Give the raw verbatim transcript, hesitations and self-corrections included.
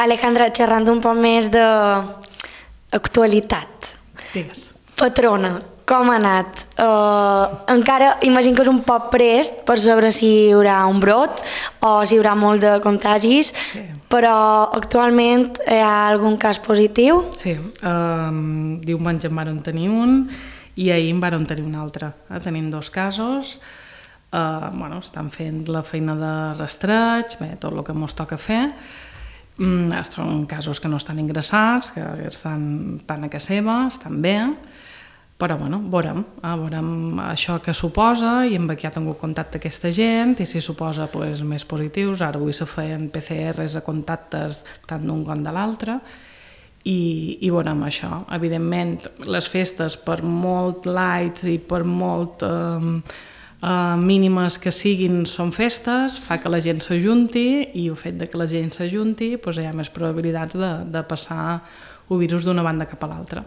Alejandra, xerrant un poc més d'actualitat. Digues. Patrona, com ha anat? Uh, encara imagino que és un poc prest per saber si hi haurà un brot o si hi haurà molt de contagis, Sí. però actualment hi ha algun cas positiu? Sí, um, diumenge en vàrem tenir un i ahir en vàrem tenir un altre. Eh? Tenim dos casos, uh, bueno, estan fent la feina de rastreig, bé, tot el que ens toca fer. Mm, són casos que no estan ingressats, que estan tant a casa seva, estan bé, però bueno, veurem, eh, veurem això que suposa i amb qui ha tingut contacte aquesta gent i si suposa pues, més positius. Ara avui se feien P C Rs a contactes tant d'un com de l'altre i, i veurem això. Evidentment, les festes, per molt lights i per molt eh, eh, mínimes que siguin, són festes, fa que la gent s'ajunti i el fet de que la gent s'ajunti pues, hi ha més probabilitats de, de passar el virus d'una banda cap a l'altra.